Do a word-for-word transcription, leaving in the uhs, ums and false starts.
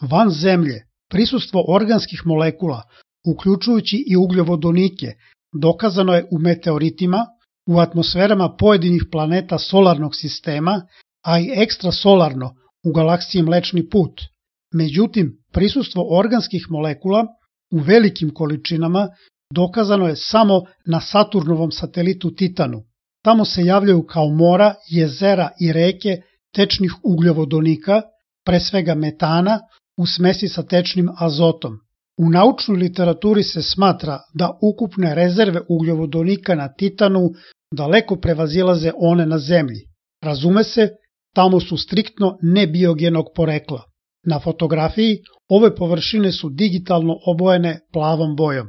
Van Zemlje, prisustvo organskih molekula, uključujući i ugljovodonike, dokazano je u meteoritima, u atmosferama pojedinih planeta solarnog sistema, a i ekstrasolarno u galaksiji Mlečni put. Međutim, prisustvo organskih molekula u velikim količinama dokazano je samo na Saturnovom satelitu Titanu. Tamo se javljaju kao mora, jezera i reke tečnih ugljovodonika, pre svega metana, u smesi sa tečnim azotom. U naučnoj literaturi se smatra da ukupne rezerve ugljovodonika na Titanu daleko prevazilaze one na Zemlji. Razume se, tamo su striktno nebiogenog porekla. Na fotografiji ove površine su digitalno obojene plavom bojom.